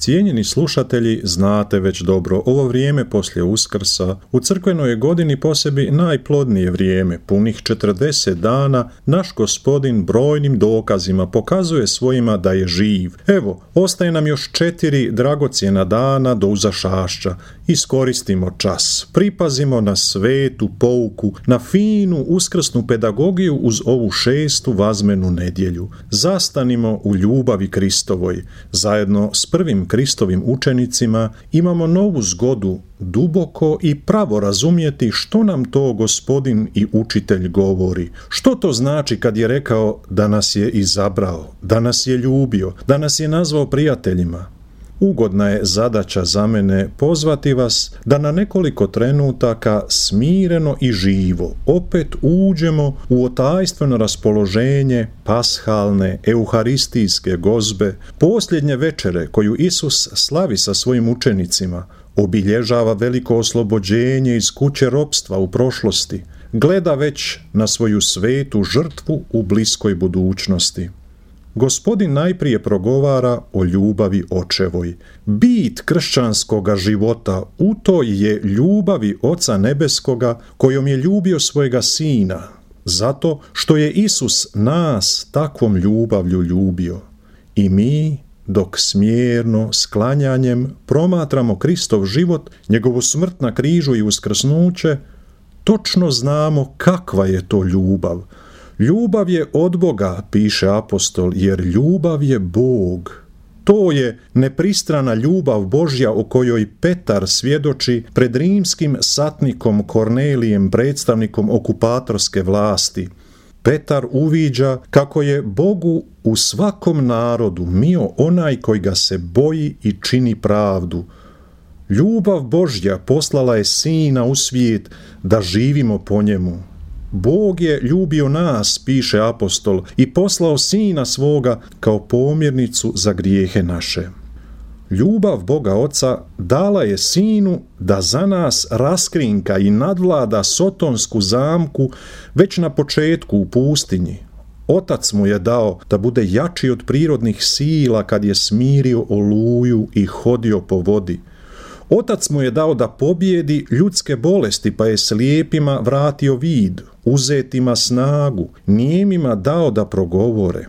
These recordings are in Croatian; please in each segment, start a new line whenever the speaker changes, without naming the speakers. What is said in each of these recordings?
Cijenjeni slušatelji, znate već dobro, ovo vrijeme poslije Uskrsa u crkvenoj godini po sebi najplodnije vrijeme, punih 40 dana, naš Gospodin brojnim dokazima pokazuje svojima da je živ. Evo, ostaje nam još 4 dragocjena dana do uzašašća. Iskoristimo čas, pripazimo na svetu pouku, na finu uskrsnu pedagogiju uz ovu 6. vazmenu nedjelju. Zastanimo u ljubavi Kristovoj. Zajedno s prvim Kristovim učenicima imamo novu zgodu duboko i pravo razumjeti što nam to Gospodin i učitelj govori. Što to znači kad je rekao da nas je izabrao, da nas je ljubio, da nas je nazvao prijateljima? Ugodna je zadaća za mene pozvati vas da na nekoliko trenutaka smireno i živo opet uđemo u otajstveno raspoloženje pashalne, euharistijske gozbe, posljednje večere koju Isus slavi sa svojim učenicima, obilježava veliko oslobođenje iz kuće ropstva u prošlosti, gleda već na svoju svetu žrtvu u bliskoj budućnosti. Gospodin najprije progovara o ljubavi očevoj. Bit kršćanskoga života u toj je ljubavi Oca Nebeskoga kojom je ljubio svojega Sina, zato što je Isus nas takvom ljubavlju ljubio. I mi, dok smjerno, sklanjanjem promatramo Kristov život, njegovu smrt na križu i uskrsnuće, točno znamo kakva je to ljubav. Ljubav je od Boga, piše apostol, jer ljubav je Bog. To je nepristrana ljubav Božja o kojoj Petar svjedoči pred rimskim satnikom Kornelijem, predstavnikom okupatorske vlasti. Petar uviđa kako je Bogu u svakom narodu mio onaj koji ga se boji i čini pravdu. Ljubav Božja poslala je Sina u svijet da živimo po njemu. Bog je ljubio nas, piše apostol, i poslao Sina svoga kao pomirnicu za grijehe naše. Ljubav Boga Oca dala je Sinu da za nas raskrinka i nadvlada sotonsku zamku već na početku u pustinji. Otac mu je dao da bude jači od prirodnih sila kad je smirio oluju i hodio po vodi. Otac mu je dao da pobjedi ljudske bolesti, pa je slijepima vratio vid, uzetima snagu, nijemima dao da progovore.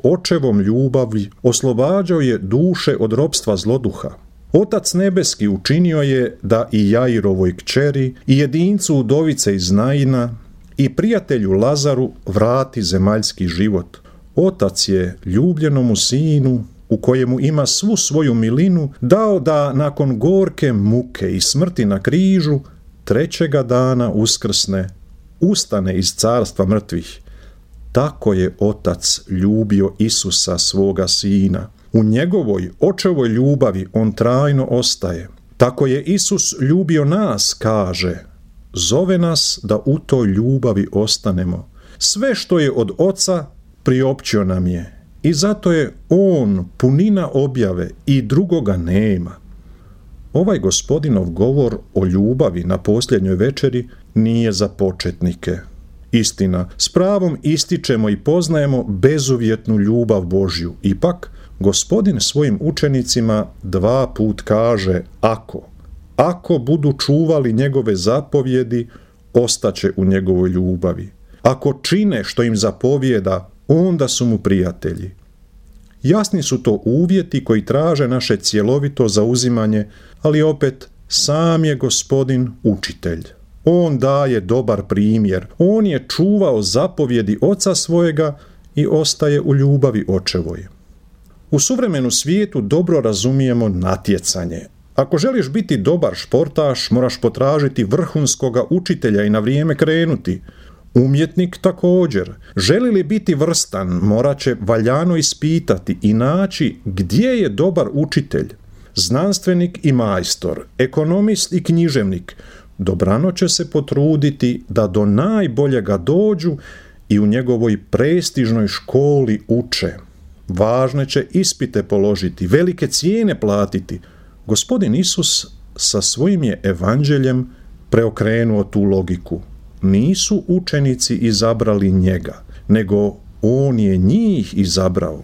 Očevom ljubavi oslobađao je duše od ropstva zloduha. Otac nebeski učinio je da i Jairovoj kćeri, i jedincu udovice iz Naina, i prijatelju Lazaru vrati zemaljski život. Otac je ljubljenomu Sinu, u kojemu ima svu svoju milinu, dao da nakon gorke muke i smrti na križu, 3. dana uskrsne, ustane iz carstva mrtvih. Tako je Otac ljubio Isusa, svoga Sina. U njegovoj očevoj ljubavi on trajno ostaje. Tako je Isus ljubio nas, kaže. Zove nas da u toj ljubavi ostanemo. Sve što je od Oca priopćio nam je. I zato je on punina objave i drugoga nema. Ovaj Gospodinov govor o ljubavi na posljednjoj večeri nije za početnike. Istina, s pravom ističemo i poznajemo bezuvjetnu ljubav Božju. Ipak, Gospodin svojim učenicima 2 put kaže ako budu čuvali njegove zapovjedi, ostaće u njegovoj ljubavi. Ako čine što im zapovjeda, onda su mu prijatelji. Jasni su to uvjeti koji traže naše cjelovito zauzimanje, ali opet sam je Gospodin učitelj. On daje dobar primjer. On je čuvao zapovjedi Oca svojega i ostaje u ljubavi očevoj. U suvremenu svijetu dobro razumijemo natjecanje. Ako želiš biti dobar športaš, moraš potražiti vrhunskoga učitelja i na vrijeme krenuti. Umjetnik također. Želi li biti vrstan, morat će valjano ispitati i naći gdje je dobar učitelj. Znanstvenik i majstor, ekonomist i književnik dobrano će se potruditi da do najboljega dođu i u njegovoj prestižnoj školi uče. Važne će ispite položiti, velike cijene platiti. Gospodin Isus sa svojim je evanđeljem preokrenuo tu logiku. Nisu učenici izabrali njega, nego on je njih izabrao.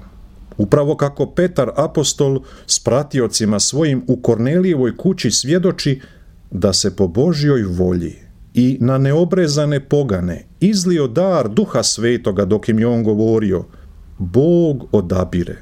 Upravo kako Petar apostol s pratiocima svojim u Kornelijevoj kući svjedoči da se po Božjoj volji i na neobrezane pogane izlio dar Duha Svetoga dok im je on govorio, Bog odabire.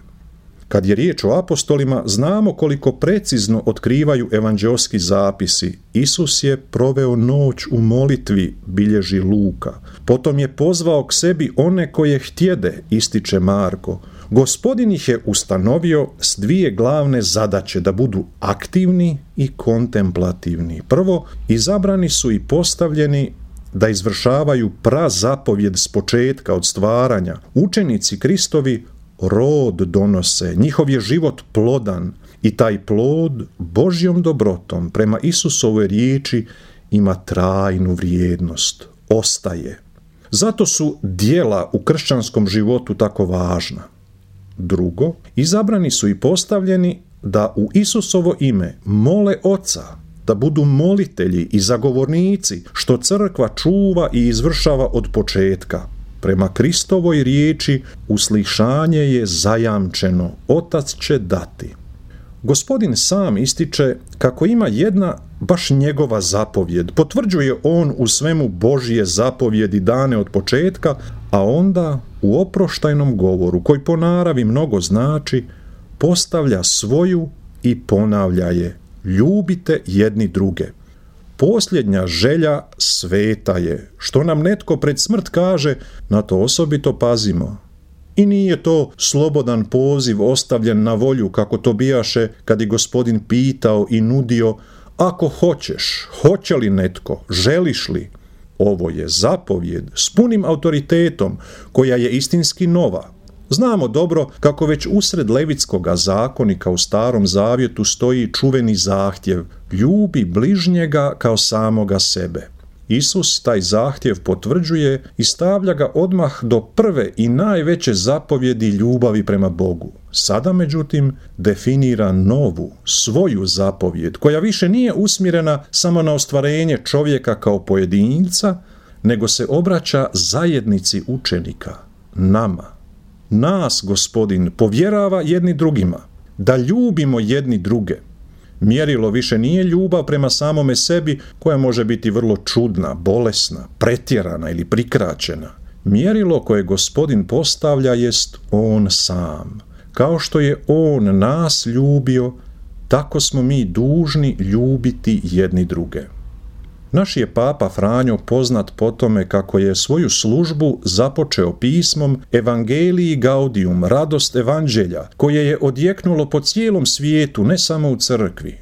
Kad je riječ o apostolima, znamo koliko precizno otkrivaju evanđeoski zapisi. Isus je proveo noć u molitvi, bilježi Luka. Potom je pozvao k sebi one koje htjede, ističe Marko. Gospodin ih je ustanovio s dvije glavne zadaće, da budu aktivni i kontemplativni. Prvo, izabrani su i postavljeni da izvršavaju prazapovjed s početka od stvaranja. Učenici Kristovi rod donose, njihov je život plodan i taj plod Božjom dobrotom prema Isusovoj riječi ima trajnu vrijednost, ostaje. Zato su djela u kršćanskom životu tako važna. Drugo, izabrani su i postavljeni da u Isusovo ime mole Oca, da budu molitelji i zagovornici, što crkva čuva i izvršava od početka. Prema Kristovoj riječi uslišanje je zajamčeno, Otac će dati. Gospodin sam ističe kako ima jedna baš njegova zapovjed. Potvrđuje on u svemu Božje zapovjedi dane od početka, a onda u oproštajnom govoru, koji po naravi mnogo znači, postavlja svoju i ponavlja je. Ljubite jedni druge. Posljednja želja sveta je. Što nam netko pred smrt kaže, na to osobito pazimo. I nije to slobodan poziv ostavljen na volju, kako to bijaše kad je Gospodin pitao i nudio, ako hoćeš, hoće li netko, želiš li? Ovo je zapovjed s punim autoritetom, koja je istinski nova. Znamo dobro kako već usred Levitskoga zakonika u Starom Zavjetu stoji čuveni zahtjev, ljubi bližnjega kao samoga sebe. Isus taj zahtjev potvrđuje i stavlja ga odmah do prve i najveće zapovjedi ljubavi prema Bogu. Sada, međutim, definira novu, svoju zapovjed, koja više nije usmjerena samo na ostvarenje čovjeka kao pojedinca, nego se obraća zajednici učenika, nama. Nas Gospodin povjerava jedni drugima, da ljubimo jedni druge. Mjerilo više nije ljubav prema samome sebi, koja može biti vrlo čudna, bolesna, pretjerana ili prikraćena. Mjerilo koje Gospodin postavlja jest On sam. Kao što je On nas ljubio, tako smo mi dužni ljubiti jedni druge. Naš je Papa Franjo poznat po tome kako je svoju službu započeo pismom Evangelii Gaudium, radost evanđelja, koje je odjeknulo po cijelom svijetu, ne samo u crkvi.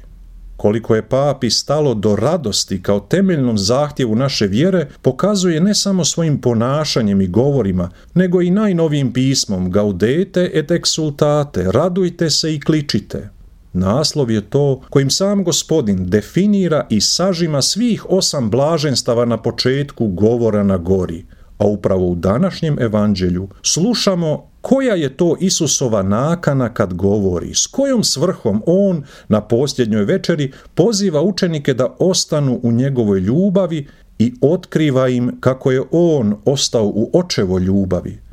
Koliko je papi stalo do radosti kao temeljnom zahtjevu naše vjere, pokazuje ne samo svojim ponašanjem i govorima, nego i najnovijim pismom Gaudete et exultate, radujte se i kličite. Naslov je to kojim sam Gospodin definira i sažima svih 8 blaženstava na početku govora na gori, a upravo u današnjem evanđelju slušamo koja je to Isusova nakana kad govori, s kojom svrhom on na posljednjoj večeri poziva učenike da ostanu u njegovoj ljubavi i otkriva im kako je on ostao u očevoj ljubavi.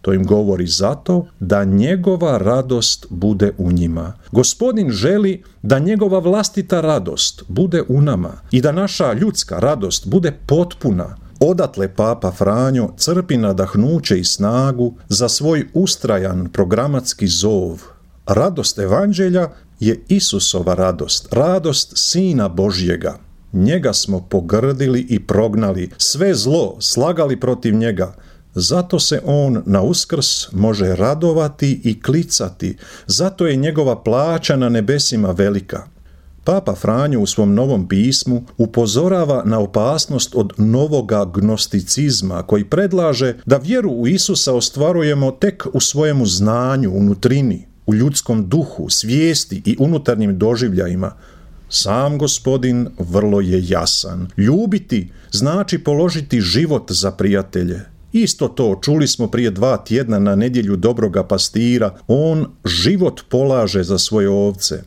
To im govori zato da njegova radost bude u njima. Gospodin želi da njegova vlastita radost bude u nama i da naša ljudska radost bude potpuna. Odatle Papa Franjo crpi nadahnuće i snagu za svoj ustrajan programatski zov. Radost evanđelja je Isusova radost, radost Sina Božjega. Njega smo pogrdili i prognali, sve zlo slagali protiv njega. Zato se on na Uskrs može radovati i klicati, zato je njegova plaća na nebesima velika. Papa Franjo u svom novom pismu upozorava na opasnost od novoga gnosticizma koji predlaže da vjeru u Isusa ostvarujemo tek u svojemu znanju, unutrini, u ljudskom duhu, svijesti i unutarnjim doživljajima. Sam Gospodin vrlo je jasan. Ljubiti znači položiti život za prijatelje. Isto to čuli smo prije 2 tjedna na nedjelju dobroga pastira. On život polaže za svoje ovce.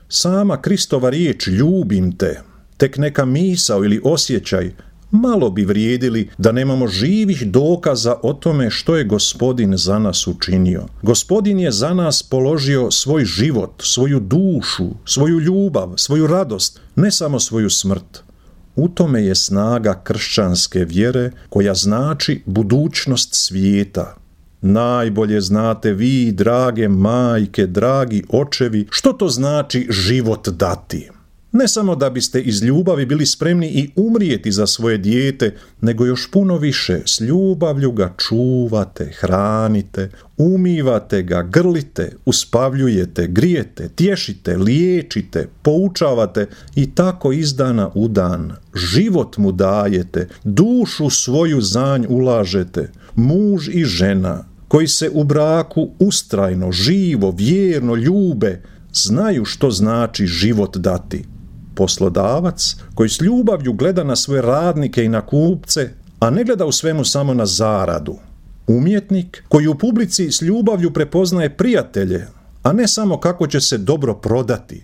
Sama Kristova riječ ljubim te, tek neka misao ili osjećaj malo bi vrijedili da nemamo živih dokaza o tome što je Gospodin za nas učinio. Gospodin je za nas položio svoj život, svoju dušu, svoju ljubav, svoju radost, ne samo svoju smrt. U tome je snaga kršćanske vjere koja znači budućnost svijeta. Najbolje znate vi, drage majke, dragi očevi, što to znači život dati. Ne samo da biste iz ljubavi bili spremni i umrijeti za svoje dijete, nego još puno više s ljubavlju ga čuvate, hranite, umivate ga, grlite, uspavljujete, grijete, tješite, liječite, poučavate i tako iz dana u dan. Život mu dajete, dušu svoju za nj ulažete, muž i žena koji se u braku ustrajno, živo, vjerno ljube, znaju što znači život dati. Poslodavac koji s ljubavlju gleda na svoje radnike i na kupce, a ne gleda u svemu samo na zaradu. Umjetnik koji u publici s ljubavlju prepoznaje prijatelje, a ne samo kako će se dobro prodati.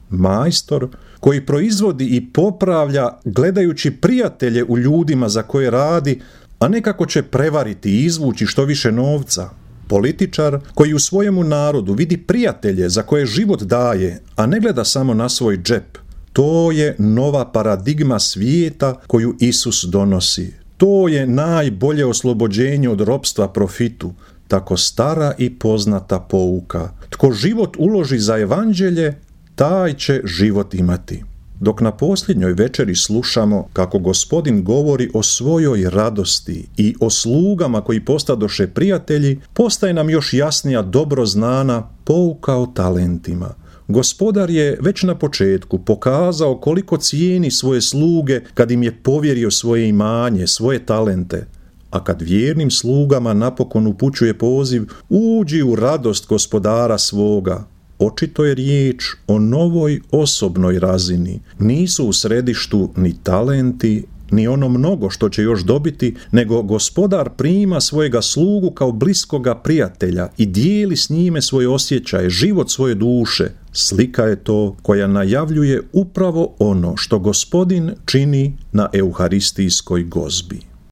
Majstor koji proizvodi i popravlja gledajući prijatelje u ljudima za koje radi, a ne kako će prevariti i izvući što više novca. Političar koji u svojemu narodu vidi prijatelje za koje život daje, a ne gleda samo na svoj džep. To je nova paradigma svijeta koju Isus donosi. To je najbolje oslobođenje od ropstva profitu, tako stara i poznata pouka. Tko život uloži za evanđelje, taj će život imati. Dok na posljednjoj večeri slušamo kako Gospodin govori o svojoj radosti i o slugama koji postadoše prijatelji, postaje nam još jasnija dobro znana pouka o talentima. Gospodar je već na početku pokazao koliko cijeni svoje sluge kad im je povjerio svoje imanje, svoje talente. A kad vjernim slugama napokon upućuje poziv, uđi u radost gospodara svoga. Očito je riječ o novoj osobnoj razini. Nisu u središtu ni talenti, ni ono mnogo što će još dobiti, nego gospodar prima svojega slugu kao bliskoga prijatelja i dijeli s njime svoje osjećaje, život svoje duše. Slika je to koja najavljuje upravo ono što Gospodin čini na euharistijskoj gozbi.